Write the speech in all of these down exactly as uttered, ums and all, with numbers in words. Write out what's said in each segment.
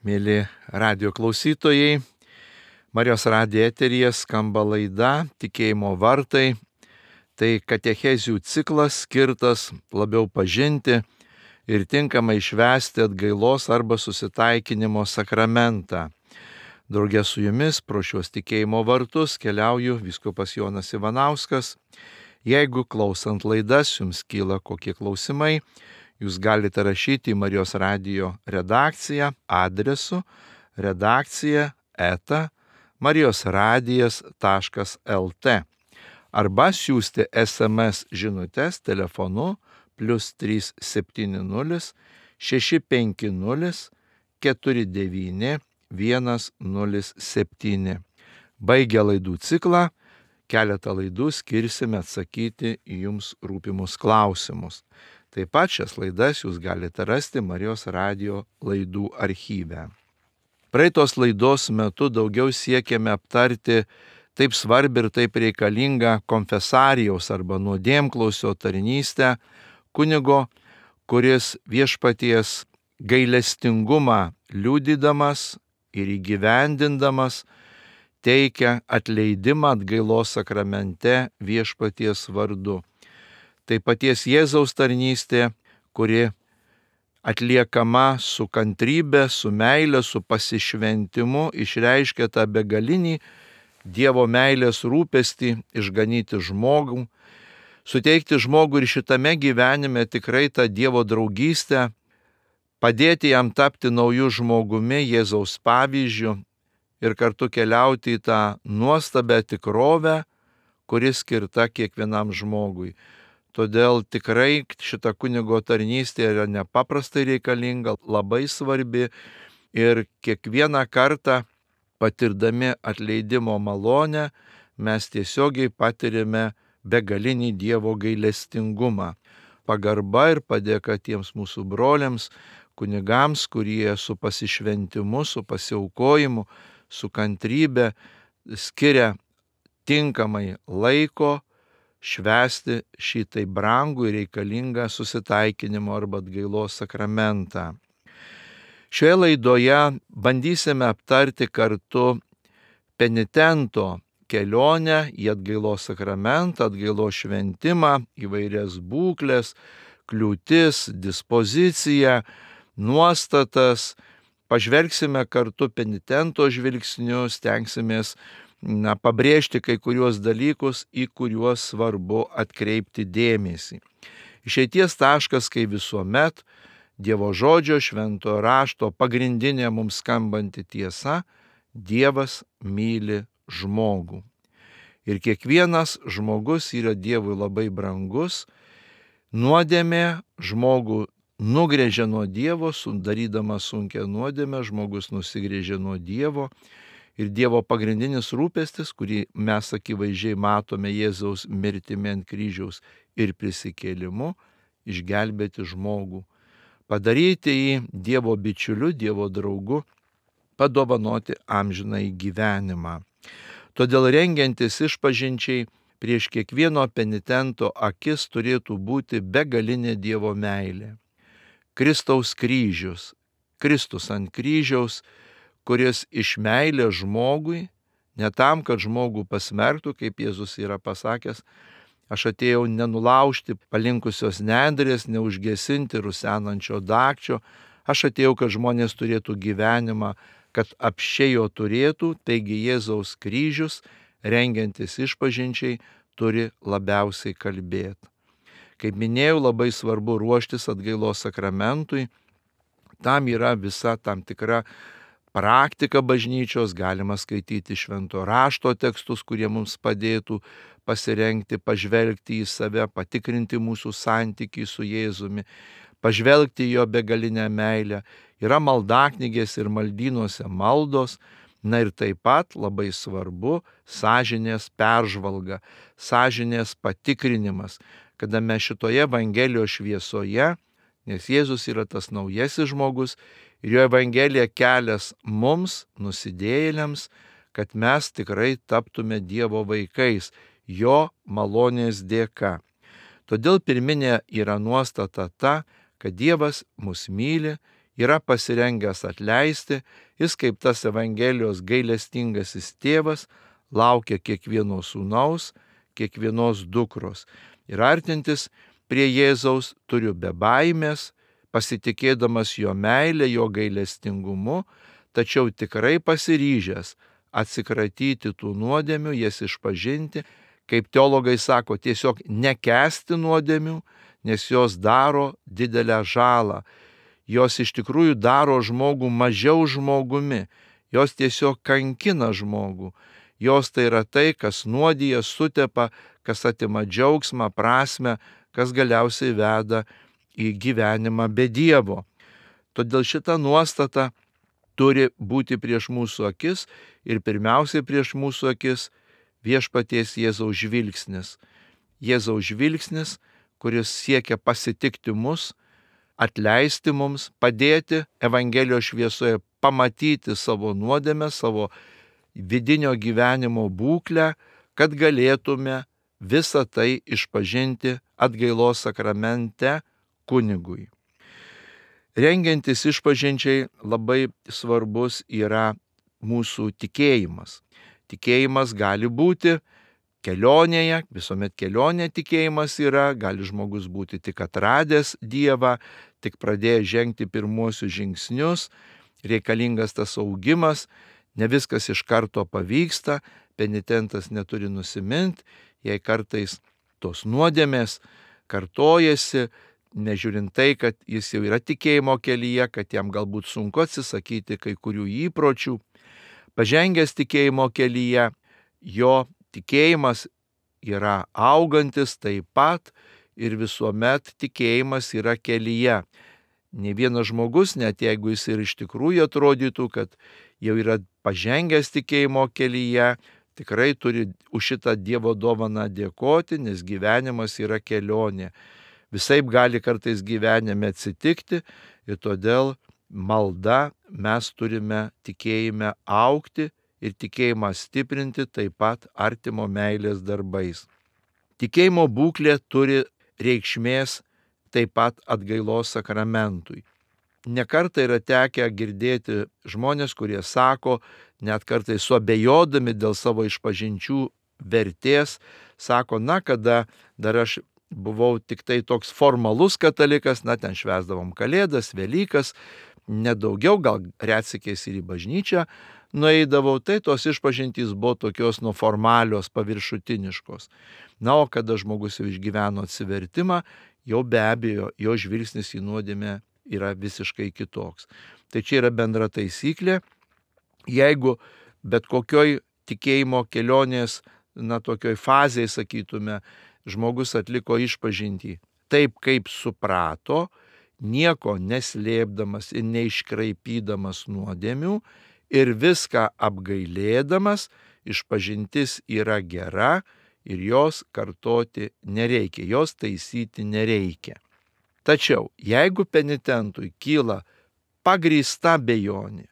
Mėly radio klausytojai, Marijos radijo eteryje skamba laida Tikėjimo vartai. Tai katechezių ciklas skirtas labiau pažinti ir tinkamai švęsti atgailos arba susitaikinimo sakramentą. Draugė su jumis pro šios tikėjimo vartus keliauju vyskupas Jonas Ivanauskas. Jeigu klausant laidas jums kyla kokie klausimai, jūs galite rašyti į Marijos radijo redakciją adresu redakcija eta marijosradijas taškas lt arba siųsti es em es žinutes telefonu plius trys septyni nulis šeši penki nulis keturi devyni vienas nulis septyni. Baigę laidų ciklą, keletą laidų skirsime atsakyti į jums rūpimus klausimus. Taip pat šias laidas jūs galite rasti Marijos radijo laidų archyve. Praeitos laidos metu daugiau siekėme aptarti taip svarbi ir taip reikalinga konfesarijaus arba nuodėmklausio tarnystę kunigo, kuris viešpaties gailestingumą liudydamas ir įgyvendindamas teikia atleidimą atgailos sakramente viešpaties vardu. Tai paties Jėzaus tarnystė, kuri atliekama su kantrybe, su meile, su pasišventimu, išreiškia tą begalinį Dievo meilės rūpestį išganyti žmogų, suteikti žmogui ir šitame gyvenime tikrai tą Dievo draugystę, padėti jam tapti naujų žmogumi Jėzaus pavyzdžiu ir kartu keliauti į tą nuostabią tikrovę, kuri skirta kiekvienam žmogui. Todėl tikrai šita kunigo tarnystė yra nepaprastai reikalinga, labai svarbi ir kiekvieną kartą patirdami atleidimo malonę mes tiesiogiai patirime begalinį Dievo gailestingumą. Pagarba ir padėka tiems mūsų broliams, kunigams, kurie su pasišventimu, su pasiaukojimu, su kantrybe skiria tinkamai laiko švęsti šitai brangų ir reikalingą susitaikinimo arba atgailos sakramentą. Šioje laidoje bandysime aptarti kartu penitento kelionę į atgailos sakramentą, atgailos šventimą, įvairias būkles, kliūtis, dispoziciją, nuostatas. Pažvelgsime kartu penitento žvilgsniu, stengsimės Na, pabrėžti kai kuriuos dalykus, į kuriuos svarbu atkreipti dėmesį. Išeities taškas, kai visuomet, Dievo žodžio, šventojo rašto pagrindinė mums skambanti tiesa - Dievas myli žmogų. Ir kiekvienas žmogus yra Dievui labai brangus. Nuodėmė žmogų nugrėžia nuo Dievo, sudarydama sunkią nuodėmę, žmogus nusigrėžia nuo Dievo. Ir Dievo pagrindinis rūpestis, kurį mes akivaizdžiai matome Jėzaus mirtimi ant kryžiaus ir prisikėlimu, išgelbėti žmogų, padaryti jį Dievo bičiuliu, Dievo draugu, padovanoti amžinąjį gyvenimą. Todėl rengiantis išpažinčiai prieš kiekvieno penitento akis turėtų būti begalinė Dievo meilė. Kristaus kryžius, Kristus ant kryžiaus, kuris iš meilės žmogui, ne tam, kad žmogų pasmerktų, kaip Jėzus yra pasakęs, aš atėjau nenulaužti palinkusios nendrės, neužgesinti rusenančio dagčio, aš atėjau, kad žmonės turėtų gyvenimą, kad apsčiai jo turėtų, taigi Jėzaus kryžius, rengiantis išpažinčiai, turi labiausiai kalbėti. Kaip minėjau, labai svarbu ruoštis atgailos sakramentui, tam yra visa tam tikra praktika bažnyčios, galima skaityti švento rašto tekstus, kurie mums padėtų pasirengti, pažvelgti į save, patikrinti mūsų santykį su Jėzumi, pažvelgti jo begalinę meilę. Yra maldaknygės ir maldynuose maldos, na ir taip pat labai svarbu sąžinės peržvalga, sąžinės patikrinimas, kada mes šitoje Evangelijos šviesoje, nes Jėzus yra tas naujasis žmogus, ir jo Evangelija kelias mums, nusidėjėliams, kad mes tikrai taptume Dievo vaikais, jo malonės dėka. Todėl pirminė yra nuostata ta, kad Dievas mus myli yra pasirengęs atleisti, jis kaip tas Evangelijos gailestingasis tėvas laukia kiekvieno sūnaus, kiekvienos dukros. Ir artintis prie Jėzaus turiu be baimės, pasitikėdamas jo meilę, jo gailestingumu, tačiau tikrai pasiryžęs atsikratyti tų nuodėmių, jas išpažinti, kaip teologai sako, tiesiog nekęsti nuodėmių, nes jos daro didelę žalą. Jos iš tikrųjų daro žmogų mažiau žmogumi, jos tiesiog kankina žmogų. Jos tai yra tai, kas nuodija, sutepa, kas atima džiaugsmą, prasmę, kas galiausiai veda į gyvenimą be Dievo. Todėl šita nuostata turi būti prieš mūsų akis ir pirmiausiai prieš mūsų akis viešpaties Jėzaus žvilgsnis. Jėzaus žvilgsnis, kuris siekia pasitikti mus, atleisti mums, padėti Evangelijos šviesoje pamatyti savo nuodėmę, savo vidinio gyvenimo būklę, kad galėtume visą tai išpažinti atgailos sakramente kunigui. Rengiantis išpažinčiai labai svarbus yra mūsų tikėjimas. Tikėjimas gali būti kelionėje, visuomet kelionė tikėjimas yra, gali žmogus būti tik atradęs Dievą, tik pradėjęs žengti pirmuosius žingsnius, reikalingas tas augimas, ne viskas iš karto pavyksta, penitentas neturi nusimint, jei kartais tos nuodėmės kartojasi, nežiūrint tai, kad jis jau yra tikėjimo kelyje, kad jam galbūt sunku atsisakyti kai kurių įpročių. Pažengęs tikėjimo kelyje, jo tikėjimas yra augantis taip pat ir visuomet tikėjimas yra kelyje. Ne vienas žmogus, net jeigu jis ir iš tikrųjų atrodytų, kad jau yra pažengęs tikėjimo kelyje, tikrai turi už šitą Dievo dovaną dėkoti, nes gyvenimas yra kelionė. Visaip gali kartais gyvenime atsitikti ir todėl malda mes turime tikėjime augti ir tikėjimą stiprinti taip pat artimo meilės darbais. Tikėjimo būklė turi reikšmės taip pat atgailos sakramentui. Nekartą yra tekę girdėti žmonės, kurie sako, net kartais suabejodami dėl savo išpažinčių vertės, sako, na, kada dar aš buvau tik tai toks formalus katalikas, na, ten švęsdavom Kalėdas, Velykas, nedaugiau, gal retsykiais ir į bažnyčią nueidavau, tai tos išpažintys buvo tokios nu formalios, paviršutiniškos. Na, o kada žmogus jau išgyveno atsivertimą, jau be abejo, jo žvilgsnis į nuodėmę yra visiškai kitoks. Tai čia yra bendra taisyklė. Jeigu bet kokioj tikėjimo kelionės, na, tokioj fazėje, sakytume, žmogus atliko išpažintį taip, kaip suprato, nieko neslėpdamas ir neiškraipydamas nuodėmių ir viską apgailėdamas, išpažintis yra gera ir jos kartoti nereikia, jos taisyti nereikia. Tačiau, jeigu penitentui kyla pagrįsta abejonė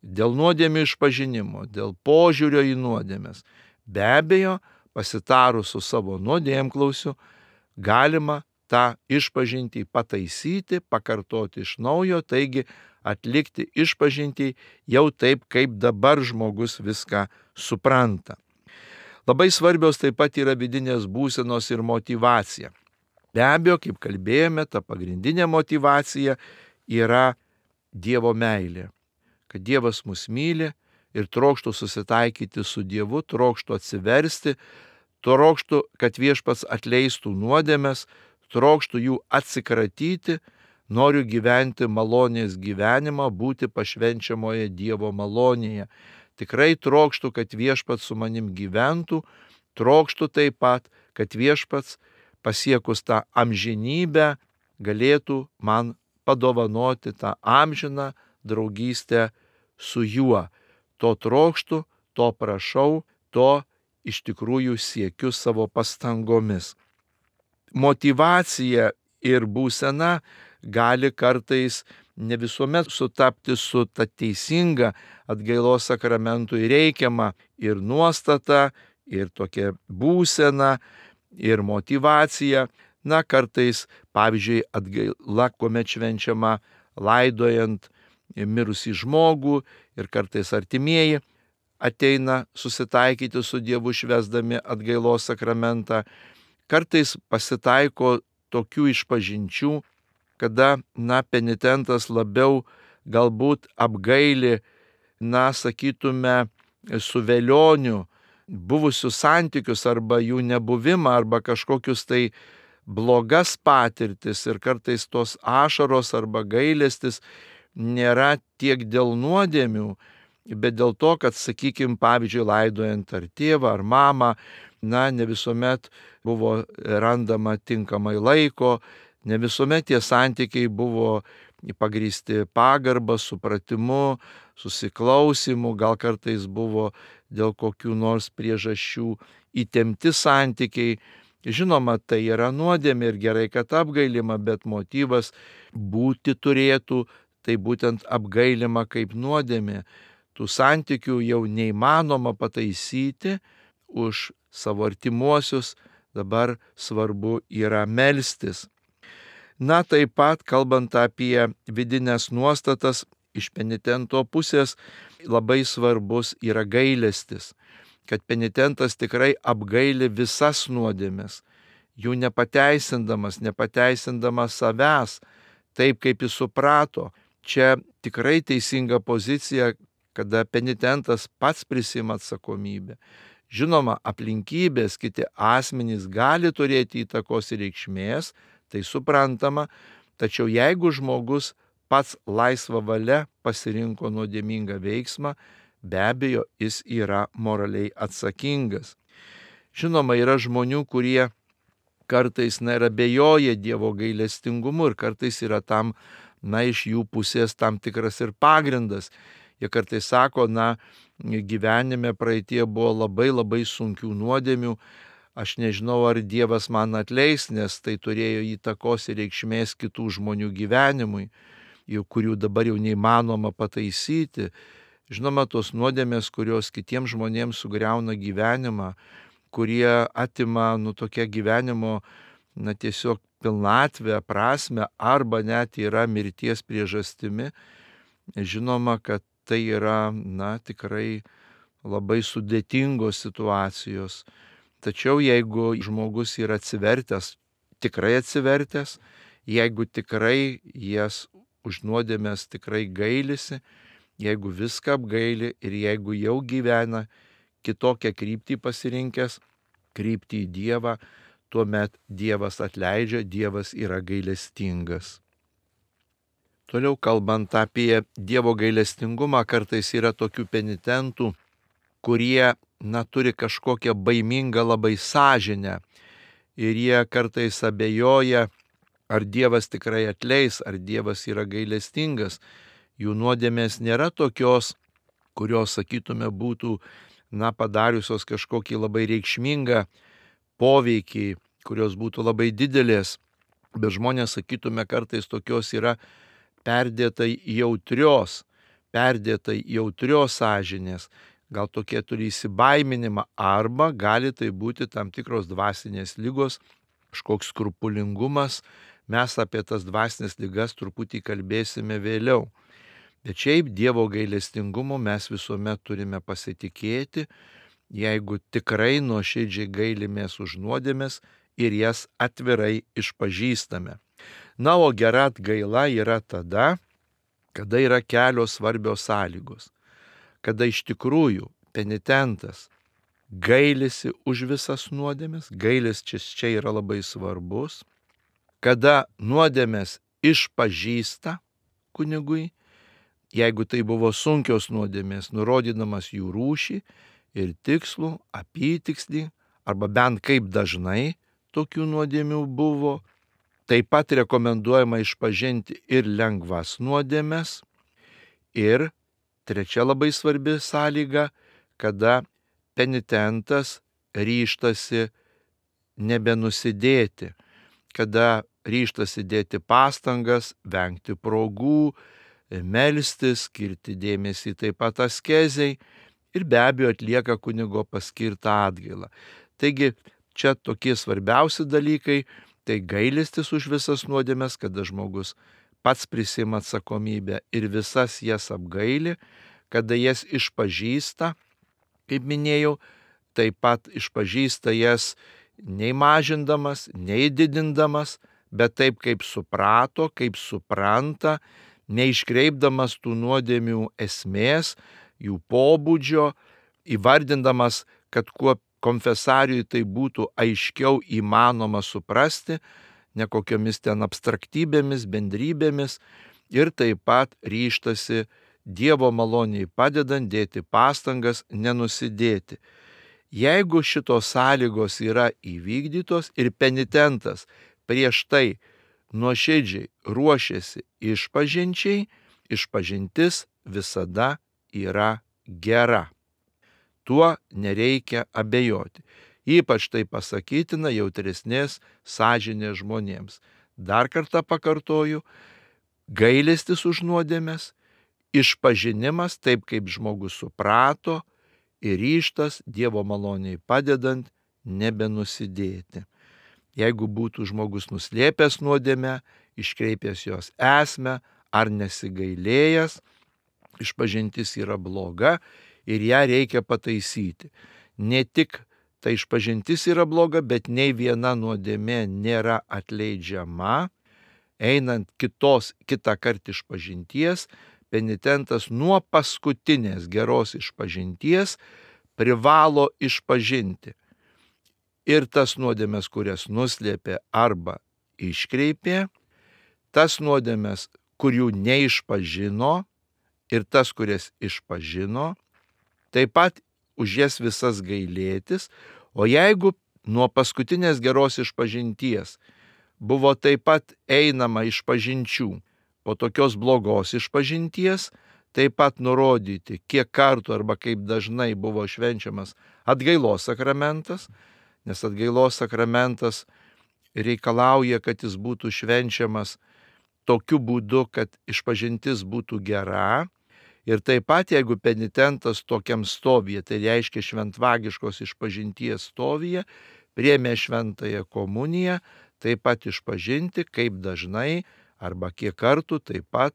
dėl nuodėmių išpažinimo, dėl požiūrio į nuodėmes, be abejo, pasitarus su savo nuodėmklausiu, galima tą išpažintį pataisyti, pakartoti iš naujo, taigi atlikti išpažintį jau taip, kaip dabar žmogus viską supranta. Labai svarbios taip pat yra vidinės būsenos ir motyvacija. Be abejo, kaip kalbėjome, ta pagrindinė motyvacija yra Dievo meilė. Kad Dievas mus myli ir trokštų susitaikyti su Dievu, trokštų atsiversti, trokštų, kad viešpats atleistų nuodėmes, trokštų jų atsikratyti, noriu gyventi malonės gyvenimą, būti pašvenčiamoje Dievo malonėje. Tikrai trokštų, kad viešpats su manim gyventų, trokštų taip pat, kad viešpats pasiekus tą amžinybę galėtų man padovanoti tą amžiną draugystę su juo. To trokštų, to prašau, to iš tikrųjų siekiu savo pastangomis. Motyvacija ir būsena gali kartais ne visuomet sutapti su ta teisinga atgailos sakramentui reikiama ir nuostata, ir tokia būsena, ir motyvacija. Na, kartais, pavyzdžiui, atgaila, kuomet švenčiama laidojant mirusį žmogų ir kartais artimieji ateina susitaikyti su Dievu švęsdami atgailos sakramentą. Kartais pasitaiko tokių išpažinčių, kada, na, penitentas labiau galbūt apgaili, na, sakytume, su velioniu buvusius santykius arba jų nebuvimą arba kažkokius tai blogas patirtis, ir kartais tos ašaros arba gailestis nėra tiek dėl nuodėmių, bet dėl to, kad, sakykime, pavyzdžiui, laidojant ar tėvą ar mamą, na, ne visuomet buvo randama tinkamai laiko, ne visuomet tie santykiai buvo pagrįsti pagarbą, supratimu, susiklausimu, gal kartais buvo dėl kokių nors priežasčių įtempti santykiai. Žinoma, tai yra nuodėmė ir gerai, kad apgailima, bet motyvas būti turėtų, tai būtent apgailima kaip nuodėmė. Tų santykių jau neįmanoma pataisyti, už savo artimuosius dabar svarbu yra melstis. Na, taip pat, kalbant apie vidinės nuostatas, iš penitento pusės labai svarbus yra gailestis, kad penitentas tikrai apgaili visas nuodėmes, jų nepateisindamas, nepateisindamas savęs, taip kaip jis suprato. Čia tikrai teisinga pozicija, kada penitentas pats prisima atsakomybę. Žinoma, aplinkybės, kiti asmenys gali turėti įtakos ir reikšmės, tai suprantama, tačiau jeigu žmogus pats laisva valia pasirinko nuodėmingą veiksmą, be abejo, jis yra moraliai atsakingas. Žinoma, yra žmonių, kurie kartais na, ir abejoja Dievo gailestingumu ir kartais yra tam, na, iš jų pusės tam tikras ir pagrindas. Jie kartais sako, na, gyvenime praeitie buvo labai labai sunkių nuodėmių, aš nežinau, ar Dievas man atleis, nes tai turėjo įtakos ir reikšmės kitų žmonių gyvenimui, kurių dabar jau neįmanoma pataisyti. Žinoma, tos nuodėmės, kurios kitiems žmonėms sugriauna gyvenimą, kurie atima nu tokia gyvenimo, na tiesiog pilnatvę, prasme, arba net yra mirties priežastimi, žinoma, kad tai yra, na, tikrai labai sudėtingos situacijos. Tačiau jeigu žmogus yra atsivertęs, tikrai atsivertęs, jeigu tikrai jas už nuodėmės tikrai gailisi, jeigu viską apgaili ir jeigu jau gyvena kitokią kryptį pasirinkęs, kryptį į Dievą, tuomet Dievas atleidžia, Dievas yra gailestingas. Toliau kalbant apie Dievo gailestingumą, kartais yra tokių penitentų, kurie, na, turi kažkokią baimingą labai sąžinę ir jie kartais abejoja, ar Dievas tikrai atleis, ar Dievas yra gailestingas. Jų nuodėmės nėra tokios, kurios, sakytume, būtų, na, padariusios kažkokį labai reikšmingą poveikį, kurios būtų labai didelės, bet žmonės, sakytume, kartais tokios yra perdėtai jautrios, perdėtai jautrios sąžinės, gal tokie turi įsibaiminimą, arba gali tai būti tam tikros dvasinės ligos, kažkoks skrupulingumas. Mes apie tas dvasinės ligas truputį kalbėsime vėliau. Bet šiaip Dievo gailestingumu mes visuomet turime pasitikėti, jeigu tikrai nuoširdžiai gailimės už nuodėmes ir jas atvirai išpažįstame. Na, o gera atgaila yra tada, kada yra kelios svarbios sąlygos. Kada iš tikrųjų penitentas gailisi už visas nuodėmes, gailestis čia yra labai svarbus, kada nuodėmes išpažįsta kunigui, jeigu tai buvo sunkios nuodėmės, nurodydamas jų rūšį ir tikslų, apytikslį, arba bent kaip dažnai tokių nuodėmių buvo. Taip pat rekomenduojama išpažinti ir lengvas nuodėmes. Ir trečia labai svarbi sąlyga, kada penitentas ryžtasi nebenusidėti, kada ryžtasi dėti pastangas, vengti progų, melstis, skirti dėmesį taip pat askezei ir be abejo atlieka kunigo paskirtą atgailą. Taigi čia tokie svarbiausi dalykai, tai gailestis už visas nuodėmes, kada žmogus pats prisima atsakomybę ir visas jas apgaili, kada jas išpažįsta, kaip minėjau, taip pat išpažįsta jas nei mažindamas, nei didindamas, bet taip kaip suprato, kaip supranta, neiškreipdamas tų nuodėmių esmės, jų pobūdžio, įvardindamas, kad kuo konfesariui tai būtų aiškiau įmanoma suprasti, ne kokiomis ten abstraktybėmis, bendrybėmis, ir taip pat ryžtasi Dievo maloniai padedant dėti pastangas nenusidėti. Jeigu šitos sąlygos yra įvykdytos ir penitentas prieš tai nuoširdžiai ruošiasi išpažinčiai, išpažintis visada yra gera. Tuo nereikia abejoti. Ypač tai pasakytina jautresnės sąžinės žmonėms. Dar kartą pakartoju, gailestis už nuodėmes, išpažinimas taip, kaip žmogus suprato, ir ryžtas Dievo maloniai padedant nebenusidėti. Jeigu būtų žmogus nuslėpęs nuodėmę, iškreipęs jos esmę ar nesigailėjęs, išpažintis yra bloga ir ją reikia pataisyti. Ne tik ta išpažintis yra bloga, bet nei viena nuodėmė nėra atleidžiama. Einant kitos, kitą kartą išpažinties, penitentas nuo paskutinės geros išpažinties privalo išpažinti ir tas nuodėmes, kurias nuslėpė arba iškreipė, tas nuodėmes, kurių neišpažino, ir tas, kurias išpažino, taip pat už jas visas gailėtis, o jeigu nuo paskutinės geros išpažinties buvo taip pat einama išpažinčių, po tokios blogos išpažinties taip pat nurodyti, kiek kartų arba kaip dažnai buvo švenčiamas atgailos sakramentas, nes atgailos sakramentas reikalauja, kad jis būtų švenčiamas tokiu būdu, kad išpažintis būtų gera. Ir taip pat, jeigu penitentas tokiam stovyje, tai reiškia šventvagiškos išpažinties stovyje, priėmė šventąją komuniją, taip pat išpažinti, kaip dažnai arba kiek kartų taip pat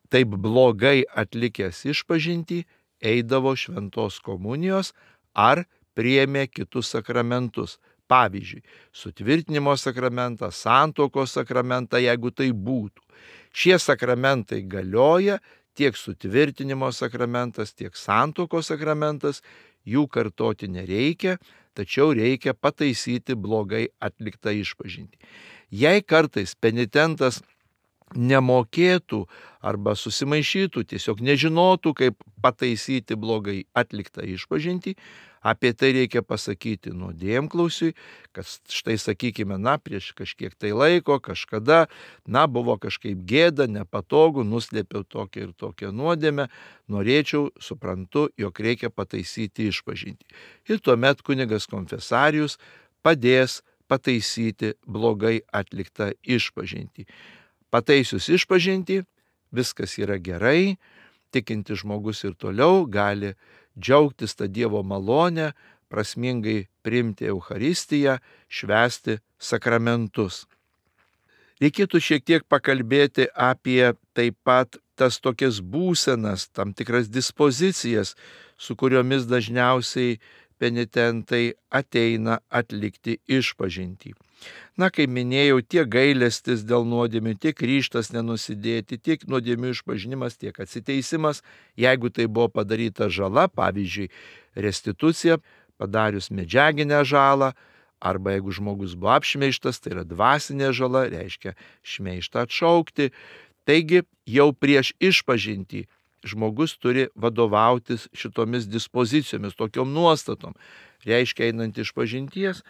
taip blogai atlikęs išpažintį eidavo šventos komunijos ar priėmė kitus sakramentus. Pavyzdžiui, sutvirtinimo sakramentą, santuokos sakramentą, jeigu tai būtų. Šie sakramentai galioja, tiek sutvirtinimo sakramentas, tiek santuokos sakramentas, jų kartoti nereikia, tačiau reikia pataisyti blogai atliktą išpažintį. Jei kartais penitentas nemokėtų arba susimaišytų, tiesiog nežinotų, kaip pataisyti blogai atliktą išpažintį, apie tai reikia pasakyti nuodėmklausiui, kad štai sakykime, na, prieš kažkiek tai laiko, kažkada, na, buvo kažkaip gėda, nepatogu, nuslėpiau tokią ir tokią nuodėmę, norėčiau, suprantu, jog reikia pataisyti išpažintį. Ir tuomet kunigas konfesarius padės pataisyti blogai atliktą išpažintį. Pataisius išpažintį, viskas yra gerai, tikintis žmogus ir toliau gali džiaugtis tą Dievo malonę, prasmingai priimti Eucharistiją, švęsti sakramentus. Reikėtų šiek tiek pakalbėti apie taip pat tas tokias būsenas, tam tikras dispozicijas, su kuriomis dažniausiai penitentai ateina atlikti išpažintį. Na, kaip minėjau, tiek gailestis dėl nuodėmių, tiek ryžtas nenusidėti, tiek nuodėmių išpažinimas, tiek atsiteisimas, jeigu tai buvo padaryta žala, pavyzdžiui, restitucija, padarius medžiaginę žalą, arba jeigu žmogus buvo apšmeižtas, tai yra dvasinė žala, reiškia šmeižtą atšaukti. Taigi jau prieš išpažintį žmogus turi vadovautis šitomis dispozicijomis, tokiom nuostatom. Reiškia, einant išpažinties,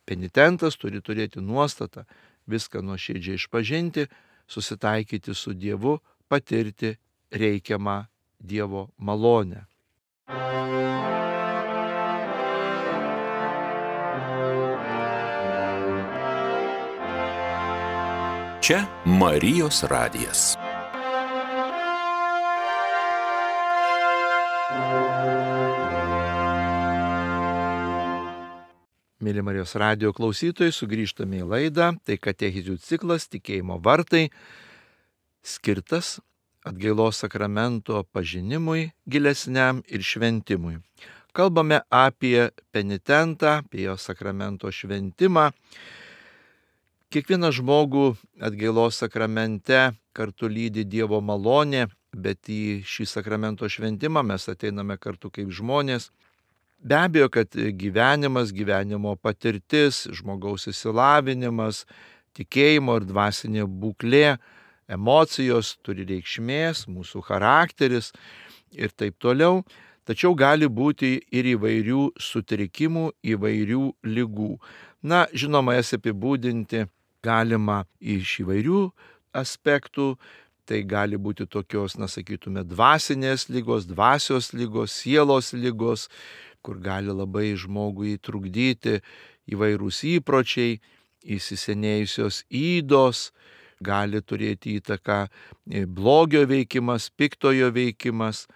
penitentas turi turėti nuostatą viską nuoširdžiai išpažinti, susitaikyti su Dievu, patirti reikiamą Dievo malonę. Čia Marijos radijas. Mėly Marijos radijo klausytojai, sugrįžtame į laidą, tai katechizių ciklas Tikėjimo vartai. skirtas atgailos sakramento pažinimui gilesniam ir šventimui. Kalbame apie penitentą, apie jo sakramento šventimą. Kiekvieną žmogų atgailos sakramente kartu lydi Dievo malonė, bet į šį sakramento šventimą mes ateiname kartu kaip žmonės. Be abejo, kad gyvenimas, gyvenimo patirtis, žmogaus išsilavinimas, tikėjimo ir dvasinė būklė, emocijos turi reikšmės, mūsų charakteris ir taip toliau. Tačiau gali būti ir įvairių sutrikimų, įvairių ligų. Na, žinoma, jas apibūdinti galima iš įvairių aspektų. Tai gali būti tokios, na, sakytume, dvasinės lygos, dvasios lygos, sielos lygos, kur gali labai žmogui trukdyti įvairūs įpročiai, įsisenėjusios ydos, gali turėti įtaką blogio veikimas, piktojo veikimas.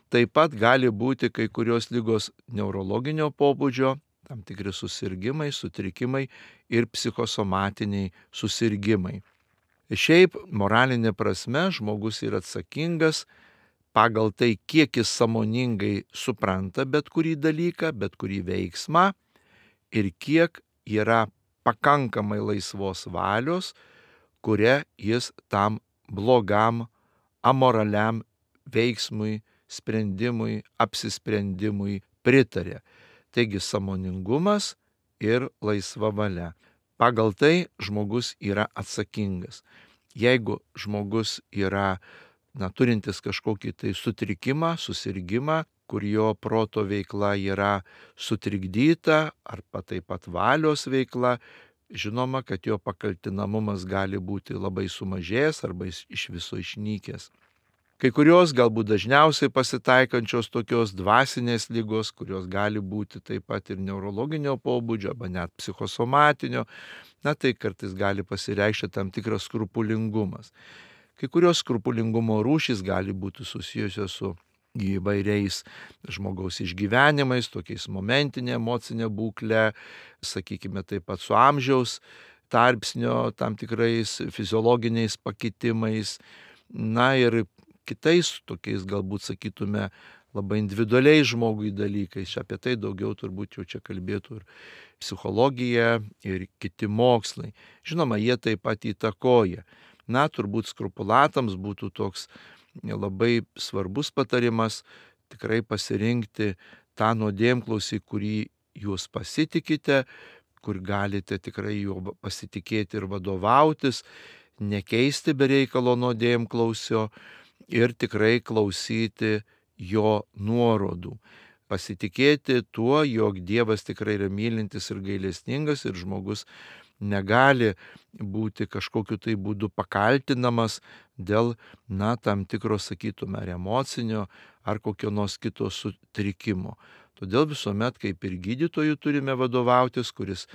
Taip pat gali būti kai kurios lygos neurologinio pobūdžio, tam tikri susirgimai, sutrikimai ir psichosomatiniai susirgimai. Šiaip moralinė prasme žmogus yra atsakingas pagal tai, kiek jis sąmoningai supranta bet kurį dalyką, bet kurį veiksmą ir kiek yra pakankamai laisvos valios, kuria jis tam blogam, amoraliam veiksmui, sprendimui, apsisprendimui pritarė. Taigi sąmoningumas ir laisva valia. Pagal tai žmogus yra atsakingas. Jeigu žmogus yra, na, turintis kažkokį tai sutrikimą, susirgimą, kur jo proto veikla yra sutrikdyta, arba taip pat valios veikla, žinoma, kad jo pakaltinamumas gali būti labai sumažėjęs arba iš viso išnykęs. Kai kurios galbūt dažniausiai pasitaikančios tokios dvasinės ligos, kurios gali būti taip pat ir neurologinio pobūdžio, arba net psichosomatinio, na tai kartais gali pasireikšti tam tikras skrupulingumas. Kai kurios skrupulingumo rūšys gali būti susijusios su įvairiais žmogaus išgyvenimais, tokiais momentinė emocinė būklė, sakykime taip pat su amžiaus tarpsnio tam tikrais fiziologiniais pakitimais, na ir kitais tokiais galbūt sakytume labai individualiai žmogui dalykais. Apie tai daugiau turbūt jau čia kalbėtų ir psichologija, ir kiti mokslai. Žinoma, jie taip pat įtakoja. Na, turbūt skrupulatams būtų toks labai svarbus patarimas tikrai pasirinkti tą nuodėmklausį, kurį jūs pasitikite, kur galite tikrai juo pasitikėti ir vadovautis, nekeisti be reikalo nuodėmklausio ir tikrai klausyti jo nuorodų. Pasitikėti tuo, jog Dievas tikrai yra mylintis ir gailestingas ir žmogus negali būti kažkokiu tai būdu pakaltinamas dėl, na, tam tikro, sakytume, ar emocinio, ar kokio nors kito sutrikimo. Todėl visuomet kaip ir gydytojų turime vadovautis, kuris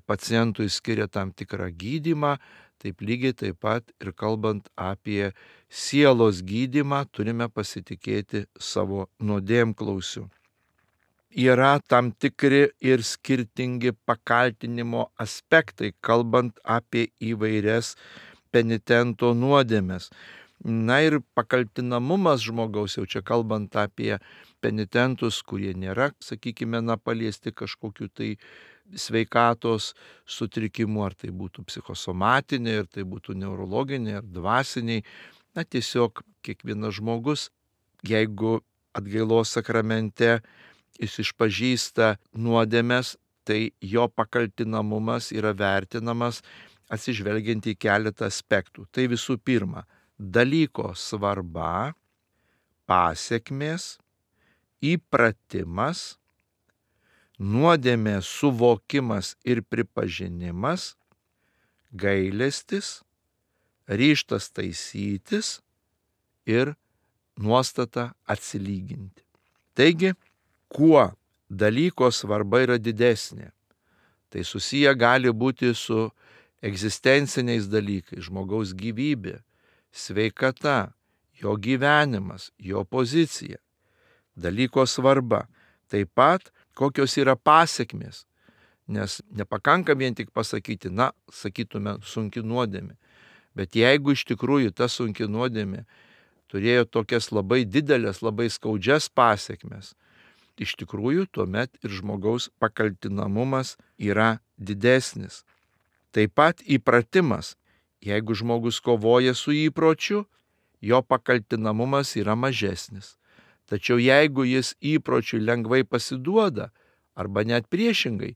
pacientui skiria tam tikrą gydymą, taip lygiai taip pat ir kalbant apie sielos gydymą turime pasitikėti savo nuodėmklausiu. Yra tam tikri ir skirtingi pakaltinimo aspektai, kalbant apie įvairias penitento nuodėmes. Na ir pakaltinamumas žmogaus, jau čia kalbant apie penitentus, kurie nėra, sakykime, na, paliesti kažkokiu tai sveikatos sutrikimų, ar tai būtų psichosomatiniai, ar tai būtų neurologiniai, ar dvasiniai. Na, tiesiog kiekvienas žmogus, jeigu atgailos sakramente jis išpažįsta nuodėmes, tai jo pakaltinamumas yra vertinamas atsižvelgiant į keletą aspektų. Tai visų pirma, dalyko svarba, pasekmės, įpratimas, nuodėmės suvokimas ir pripažinimas, gailestis, ryžtas taisytis ir nuostata atsilyginti. Taigi, kuo dalyko svarba yra didesnė, tai susiję gali būti su egzistenciniais dalykais, žmogaus gyvybė, sveikata, jo gyvenimas, jo pozicija, dalyko svarba. Taip pat kokios yra pasekmės, nes nepakanka vien tik pasakyti, na, sakytume, sunki nuodėmė, Bet jeigu iš tikrųjų ta sunki nuodėmė turėjo tokias labai didelės, labai skaudžias pasiekmes, iš tikrųjų tuomet ir žmogaus pakaltinamumas yra didesnis. Taip pat įpratimas. Jeigu žmogus kovoja su įpročiu, jo pakaltinamumas yra mažesnis. Tačiau jeigu jis įpročiui lengvai pasiduoda, arba net priešingai,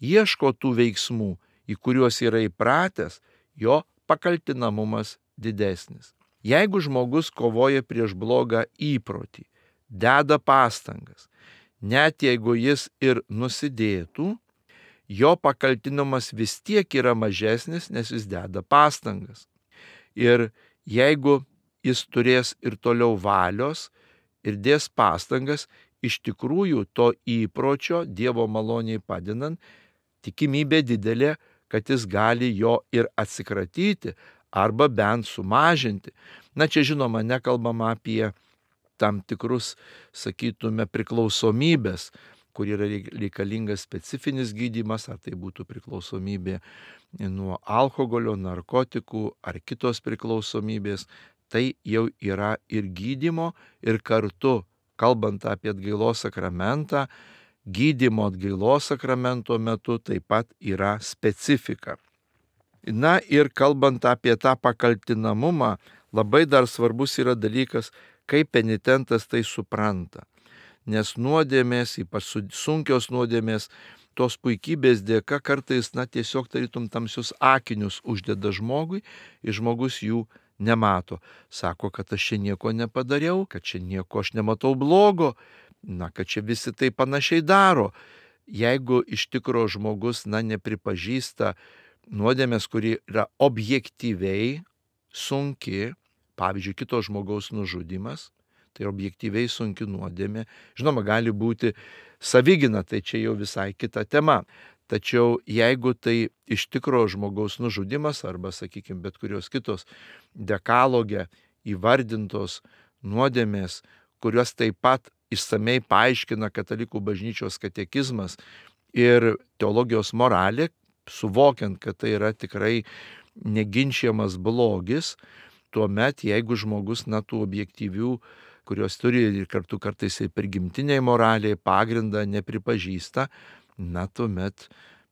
ieško tų veiksmų, į kuriuos yra įpratęs, jo pakaltinamumas didesnis. Jeigu žmogus kovoja prieš blogą įprotį, deda pastangas, net jeigu jis ir nusidėtų, jo pakaltinamas vis tiek yra mažesnis, nes jis deda pastangas. Ir jeigu jis turės ir toliau valios ir dės pastangas, iš tikrųjų to įpročio Dievo maloniai padedant, tikimybė didelė, kad jis gali jo ir atsikratyti arba bent sumažinti. Na čia žinoma, nekalbama apie tam tikrus, sakytume, priklausomybės, kur yra reikalingas specifinis gydymas, ar tai būtų priklausomybė nuo alkoholio, narkotikų ar kitos priklausomybės, tai jau yra ir gydymo, ir kartu, kalbant apie atgailos sakramentą, gydymo atgailos sakramento metu taip pat yra specifika. Na ir kalbant apie tą pakaltinamumą, labai dar svarbus yra dalykas, kaip penitentas tai supranta. Nes nuodėmės, ypač sunkios nuodėmės, tos puikybės dėka kartais, na, tiesiog tarytum tamsius akinius uždeda žmogui ir žmogus jų nemato. Sako, kad aš čia nieko nepadariau, kad čia nieko aš nematau blogo, na, kad čia visi tai panašiai daro. Jeigu iš tikro žmogus, na, nepripažįsta nuodėmės, kuri yra objektyviai sunki, pavyzdžiui, kito žmogaus nužudymas, tai objektyviai sunki nuodėmė. Žinoma, gali būti savigyna, tai čia jau visai kita tema. Tačiau jeigu tai iš tikro žmogaus nužudymas arba, sakykime, bet kurios kitos dekaloge įvardintos nuodėmės, kurios taip pat išsamei paaiškina Katalikų bažnyčios katekizmas ir teologijos moralė, suvokiant, kad tai yra tikrai neginčiamas blogis, tuomet, jeigu žmogus, na, tų objektyvių, kurios turi ir kartu kartais ir prigimtiniai moraliai pagrindą nepripažįsta, na, tuomet,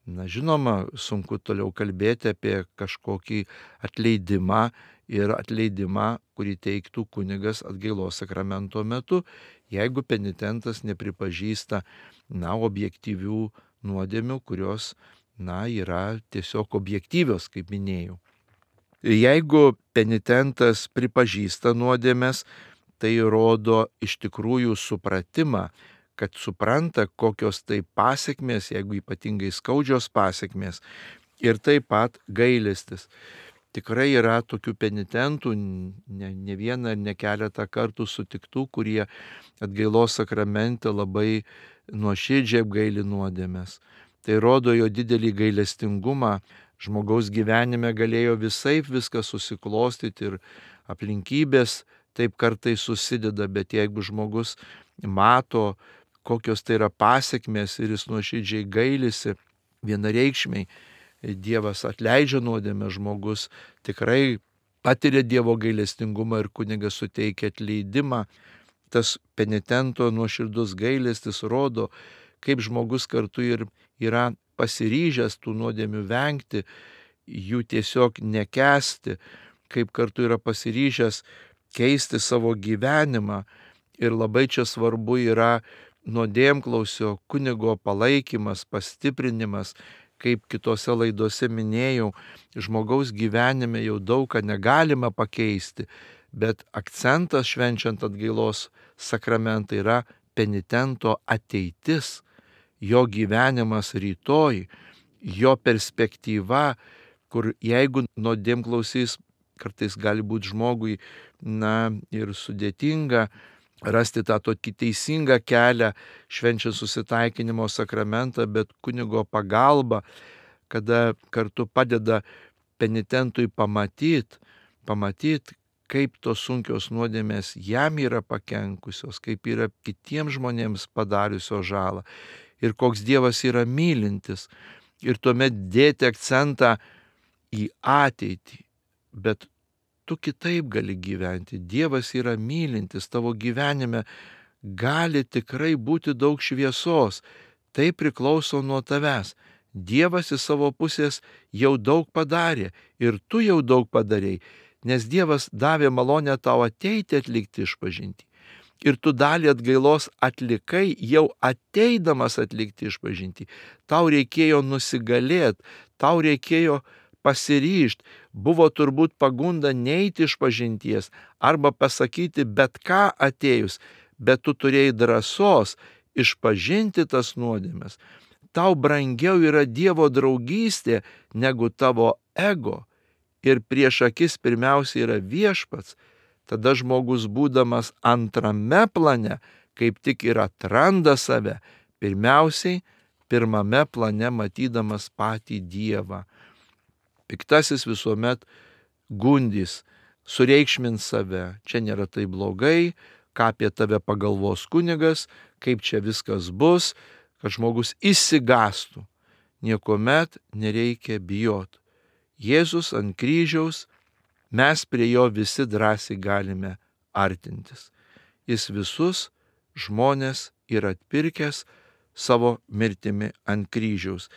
na, žinoma, sunku toliau kalbėti apie kažkokį atleidimą ir atleidimą, kurį teiktų kunigas atgailos sakramento metu, jeigu penitentas nepripažįsta, na, objektyvių nuodėmių, kurios, na, yra tiesiog objektyvios, kaip minėjau. Jeigu penitentas pripažįsta nuodėmes, tai rodo iš tikrųjų supratimą, kad supranta, kokios tai pasekmės, jeigu ypatingai skaudžios pasekmės, ir taip pat gailestis. Tikrai yra tokių penitentų, ne, ne vieną ir ne keletą kartų sutiktų, kurie atgailos sakramente labai nuoširdžiai apgaili nuodėmes. Tai rodo jo didelį gailestingumą. Žmogaus gyvenime galėjo visaip viskas susiklostyti ir aplinkybės taip kartais susideda, bet jeigu žmogus mato, kokios tai yra pasekmės ir jis nuoširdžiai gailisi, vienareikšmiai Dievas atleidžia nuodėmę, žmogus tikrai patiria Dievo gailestingumą ir kunigas suteikia atleidimą. Tas penitento nuoširdus gailestis rodo, kaip žmogus kartu ir yra pasiryžęs tų nuodėmių vengti, jų tiesiog nekęsti, kaip kartu yra pasiryžęs keisti savo gyvenimą. Ir labai čia svarbu yra nuodėmklausio kunigo palaikymas, pastiprinimas, kaip kitose laidose minėjau, žmogaus gyvenime jau daug ką negalima pakeisti, bet akcentas švenčiant atgailos sakramentą yra penitento ateitis, jo gyvenimas rytoj, jo perspektyva, kur jeigu nuodėmklausys kartais gali būti žmogui, na, ir sudėtinga rasti tą tokį teisingą kelią švenčiant susitaikinimo sakramentą, bet kunigo pagalba, kada kartu padeda penitentui pamatyti, pamatyti, kaip tos sunkios nuodėmės jam yra pakenkusios, kaip yra kitiems žmonėms padariusios žalą ir koks Dievas yra mylintis. Ir tuomet dėti akcentą į ateitį, bet tu kitaip gali gyventi. Dievas yra mylintis, tavo gyvenime gali tikrai būti daug šviesos. Tai priklauso nuo tavęs. Dievas iš savo pusės jau daug padarė ir tu jau daug padarėjai, nes Dievas davė malonę tau ateiti atlikti išpažintį. Ir tu dalį atgailos atlikai jau ateidamas atlikti išpažintį. Tau reikėjo nusigalėti, tau reikėjo pasiryžti. Buvo turbūt pagunda neiti išpažinties arba pasakyti bet ką atėjus, bet tu turėjai drąsos išpažinti tas nuodėmes. Tau brangiau yra Dievo draugystė negu tavo ego. Ir prieš akis pirmiausia yra viešpats. Tada žmogus, būdamas antrame plane, kaip tik ir atranda save, pirmiausiai pirmame plane matydamas patį Dievą. Piktasis visuomet gundys, sureikšmins save. Čia nėra tai blogai, ką apie tave pagalvos kunigas, kaip čia viskas bus, kad žmogus išsigastų. Niekuomet nereikia bijoti. Jėzus ant kryžiaus, mes prie jo visi drąsiai galime artintis. Jis visus žmonės yra atpirkęs savo mirtimi ant kryžiaus.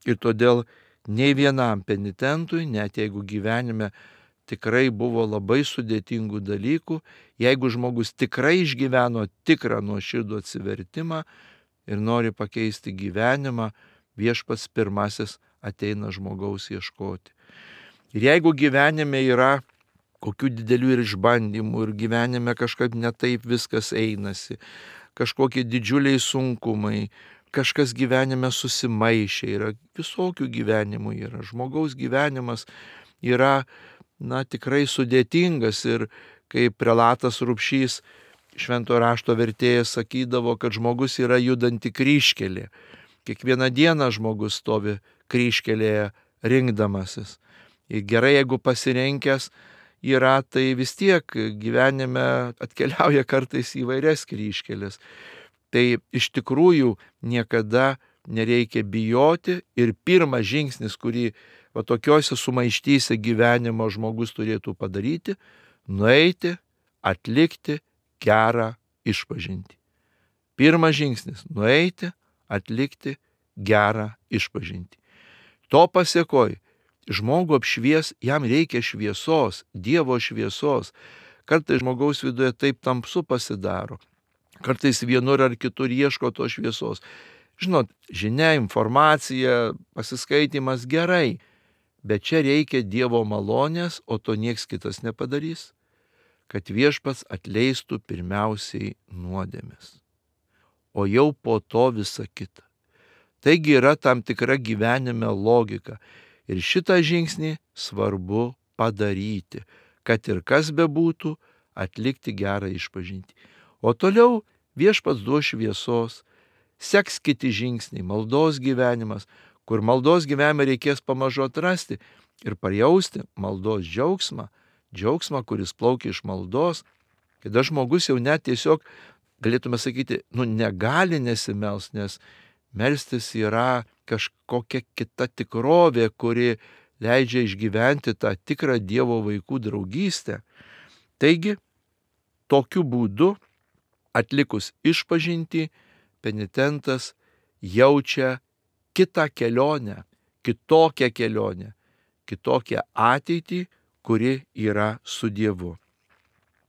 Ir todėl nei vienam penitentui, net jeigu gyvenime tikrai buvo labai sudėtingų dalykų, jeigu žmogus tikrai išgyveno tikrą nuoširdų atsivertimą ir nori pakeisti gyvenimą, viešpats pirmasis ateina žmogaus ieškoti. Ir jeigu gyvenime yra kokių didelių ir išbandymų ir gyvenime kažkaip netaip viskas einasi, kažkokie didžiuliai sunkumai, kažkas gyvenime susimaišė, yra visokių gyvenimų yra. Žmogaus gyvenimas yra, na, tikrai sudėtingas ir kaip prelatas Rupšys, švento rašto vertėjas, sakydavo, kad žmogus yra judanti kryžkelė. Kiekvieną dieną žmogus stovi kryžkelėje rinkdamasis. Ir gerai, jeigu pasirenkęs yra, tai vis tiek gyvenime atkeliauja kartais įvairias kryžkelės. Tai iš tikrųjų niekada nereikia bijoti ir pirmas žingsnis, kurį va tokiuose sumaištyse gyvenimo žmogus turėtų padaryti, nueiti, atlikti gerą išpažintį. Pirmas žingsnis - nueiti, atlikti gerą išpažintį. To pasiekoj žmogų apšvies, jam reikia šviesos, Dievo šviesos. Kartais žmogaus viduje taip tamsu pasidaro. Kartais vienur ar kitur ieško to šviesos. Žinot, žinia, informacija, pasiskaitimas gerai, bet čia reikia Dievo malonės, o to nieks kitas nepadarys, kad viešpats atleistų pirmiausiai nuodėmes, o jau po to visa kita. Taigi yra tam tikra gyvenime logika. Ir šitą žingsnį svarbu padaryti, kad ir kas bebūtų, atlikti gerą išpažintį. O toliau viešpats duos šviesos, seks kiti žingsniai, maldos gyvenimas, kur maldos gyvenime reikės pamažu atrasti ir pajausti maldos džiaugsmą, džiaugsmą, kuris plaukia iš maldos, kada žmogus jau net tiesiog, galėtume sakyti, nu negali nesimels, nes melstis yra kažkokia kita tikrovė, kuri leidžia išgyventi tą tikrą Dievo vaikų draugystę. Taigi, tokiu būdu, atlikus išpažintį, penitentas jaučia kitą kelionę, kitokią kelionę, kitokią ateitį, kuri yra su Dievu.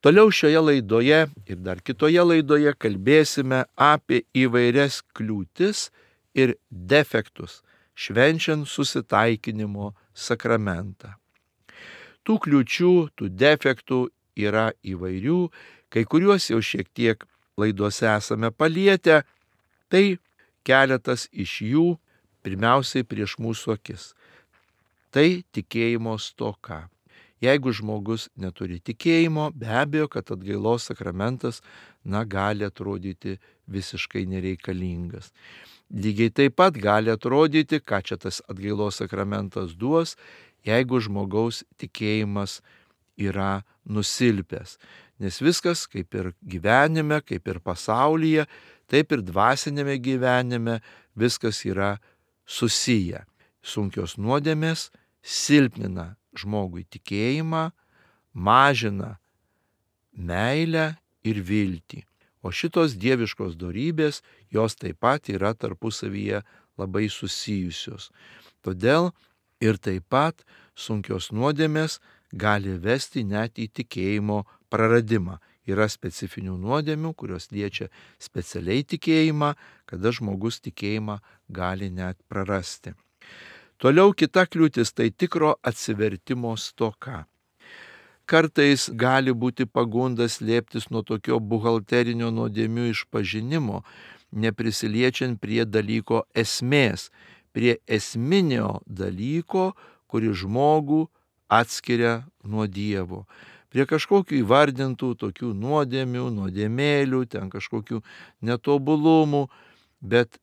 Toliau šioje laidoje ir dar kitoje laidoje kalbėsime apie įvairias kliūtis ir defektus, švenčiant susitaikinimo sakramentą. Tų kliūčių, tų defektų yra įvairių, kai kuriuos jau šiek tiek laidose esame palietę, tai keletas iš jų pirmiausiai prieš mūsų akis. Tai tikėjimo stoka. Jeigu žmogus neturi tikėjimo, be abejo, kad atgailos sakramentas, na, gali atrodyti visiškai nereikalingas. Lygiai taip pat gali atrodyti, ką čia tas atgailos sakramentas duos, jeigu žmogaus tikėjimas yra nusilpęs. Nes viskas, kaip ir gyvenime, kaip ir pasaulyje, taip ir dvasinėme gyvenime, viskas yra susiję. Sunkios nuodėmės silpnina žmogui tikėjimą, mažina meilę ir viltį. O šitos dieviškos dorybės, jos taip pat yra tarpusavyje labai susijusios. Todėl ir taip pat sunkios nuodėmės gali vesti net į tikėjimo praradimą. Yra specifinių nuodėmių, kurios liečia specialiai tikėjimą, kada žmogus tikėjimą gali net prarasti. Toliau kita kliūtis tai tikro atsivertimo stoka. Kartais gali būti pagunda slėptis nuo tokio buhalterinio nuodėmių išpažinimo, neprisiliečiant prie dalyko esmės, prie esminio dalyko, kuri žmogų atskiria nuo Dievo. Prie kažkokių įvardintų tokių nuodėmių, nuodėmėlių, ten kažkokių netobulumų, bet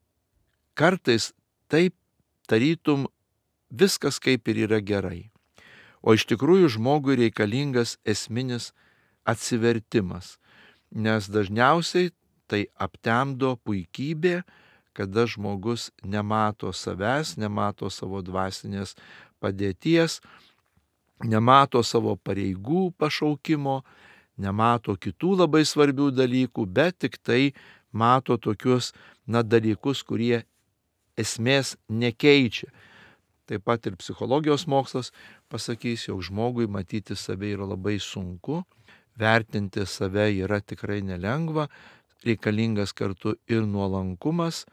kartais taip tarytum viskas kaip ir yra gerai. O iš tikrųjų žmogui reikalingas esminis atsivertimas, nes dažniausiai tai aptemdo puikybė, kada žmogus nemato savęs, nemato savo dvasinės padėties, nemato savo pareigų pašaukimo, nemato kitų labai svarbių dalykų, bet tik tai mato tokius na, dalykus, kurie esmės nekeičia. Taip pat ir psichologijos mokslas pasakys, jog žmogui matyti save yra labai sunku, vertinti save yra tikrai nelengva, reikalingas kartu ir nuolankumas,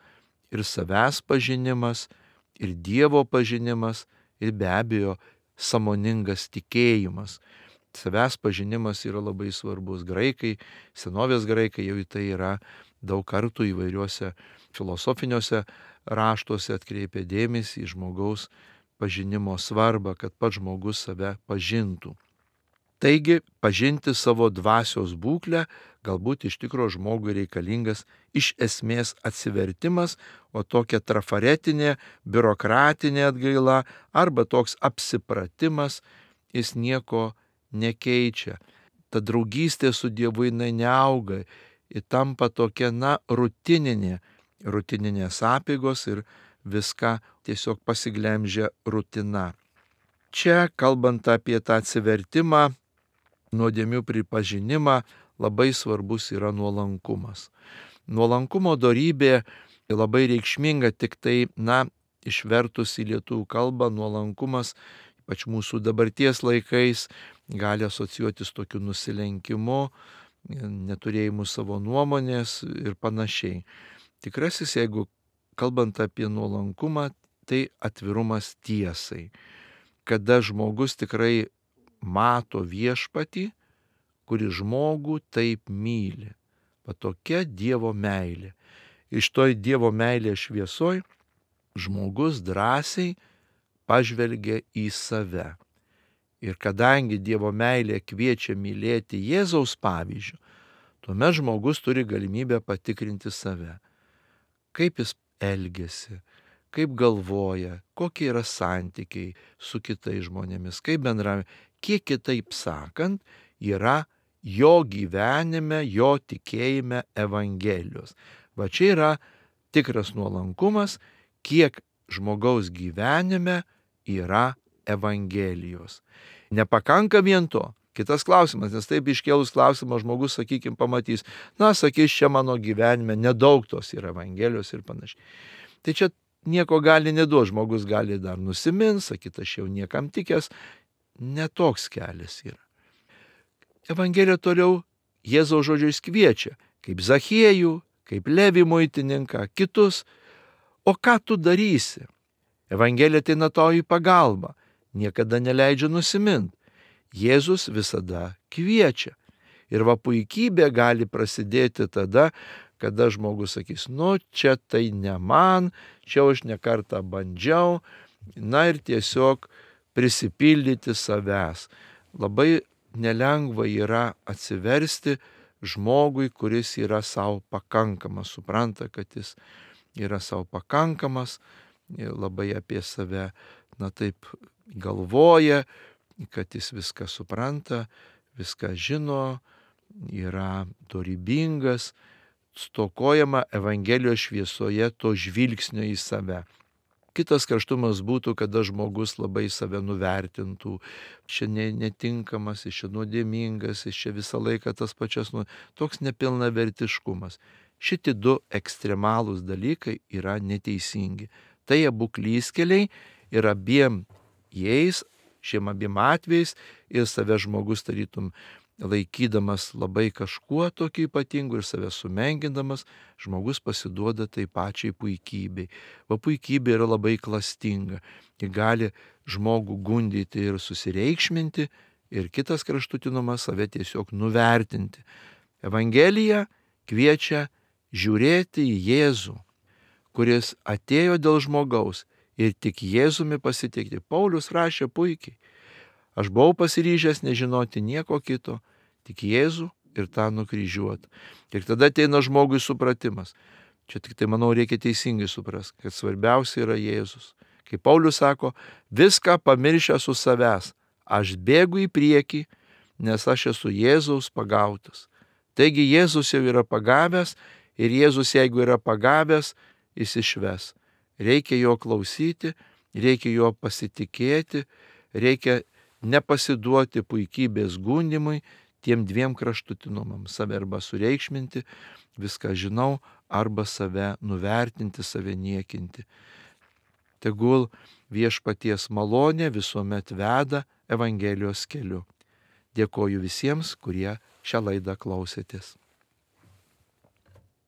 ir savęs pažinimas, ir Dievo pažinimas, ir be abejo sąmoningas tikėjimas. Savęs pažinimas yra labai svarbus. Graikai, senovės graikai jau į tai yra daug kartų įvairiuose filosofiniuose raštuose atkreipia dėmesį į žmogaus pažinimo svarbą, kad pats žmogus save pažintų. Taigi, pažinti savo dvasios būklę galbūt iš tikro žmogui reikalingas iš esmės atsivertimas, o tokia trafaretinė, biurokratinė atgaila arba toks apsipratimas, jis nieko nekeičia. Ta draugystė su Dievu jinai neauga, ji tampa tokia, na, rutininė, rutininės apeigos ir viską tiesiog pasiglemžia rutina. Čia, kalbant apie tą atsivertimą, nuodėmių pripažinimą, labai svarbus yra nuolankumas. Nuolankumo dorybė labai reikšminga, tik tai, na, išvertus į lietuvių kalbą, nuolankumas, ypač mūsų dabarties laikais, gali asocijuotis tokiu nusilenkimu, neturėjimu savo nuomonės ir panašiai. Tikrasis, jeigu kalbant apie nuolankumą, tai atvirumas tiesai. Kada žmogus tikrai mato viešpatį, kuri žmogų taip myli. Va tokia Dievo meilė. Iš toj Dievo meilės šviesoj žmogus drąsiai pažvelgia į save. Ir kadangi Dievo meilė kviečia mylėti Jėzaus pavyzdžiu, tuomet žmogus turi galimybę patikrinti save. Kaip jis elgiasi, kaip galvoja, kokie yra santykiai su kitais žmonėmis, kaip bendravime, kiek kitaip sakant, yra jo gyvenime, jo tikėjime Evangelijos. Va čia yra tikras nuolankumas, kiek žmogaus gyvenime yra Evangelijos. Nepakanka vien to. Kitas klausimas, nes taip iškėlus klausimą žmogus, sakykime, pamatys, na, sakys, čia mano gyvenime nedaug tos yra Evangelijos ir panašiai. Tai čia nieko gali neduoti, žmogus gali dar nusimint, sakyti, aš jau niekam tikęs, netoks kelias yra. Evangelija toliau Jėzaus žodžiais kviečia, kaip Zachiejų, kaip Levį muitininką, kitus. O ką tu darysi? Evangelija ateina tau į pagalbą, niekada neleidžia nusimint. Jėzus visada kviečia. Ir va puikybė gali prasidėti tada, kada žmogus sakys, nu čia tai ne man, čia aš ne kartą bandžiau, na ir tiesiog prisipildyti savęs. Labai nelengva yra atsiversti žmogui, kuris yra savo pakankamas, supranta, kad jis yra savo pakankamas, labai apie save, na taip, galvoja, kad jis viską supranta, viską žino, yra dorybingas, stokojama Evangelijos šviesoje to žvilgsnio į save. Kitas kraštumas būtų, kada žmogus labai save nuvertintų, čia ne, netinkamas, jis čia nuodėmingas, jis čia visą laiką tas pačias, nu, toks nepilnavertiškumas. Šitie du ekstremalūs dalykai yra neteisingi. Tai abu klystkeliai ir abiem jais, šiem abiem atvejais ir save žmogus tarytum laikydamas labai kažkuo tokiu ypatingu ir save sumengindamas, žmogus pasiduoda tai pačiai puikybei. O puikybė yra labai klastinga. Ji gali žmogų gundyti ir susireikšminti, ir kitas kraštutinumas save tiesiog nuvertinti. Evangelija kviečia žiūrėti į Jėzų, kuris atėjo dėl žmogaus ir tik Jėzumi pasitikti. Paulius rašė puikiai. Aš buvau pasiryžęs nežinoti nieko kito, tik Jėzų ir tą nukryžiuotą. Ir tada ateina žmogui supratimas. Čia tik tai, manau, reikia teisingai suprasti, kad svarbiausia yra Jėzus. Kaip Paulius sako, viską pamiršęs su savęs, aš bėgu į priekį, nes aš esu Jėzaus pagautas. Taigi Jėzus jau yra pagavęs ir Jėzus, jeigu yra pagavęs, jis išves. Reikia jo klausyti, reikia jo pasitikėti, reikia nepasiduoti puikybės gundimui, tiem dviem kraštutinumam, save arba sureikšminti, viską žinau, arba save nuvertinti, save niekinti. Tegul viešpaties malonė visuomet veda Evangelijos keliu. Dėkoju visiems, kurie šią laidą klausėtės.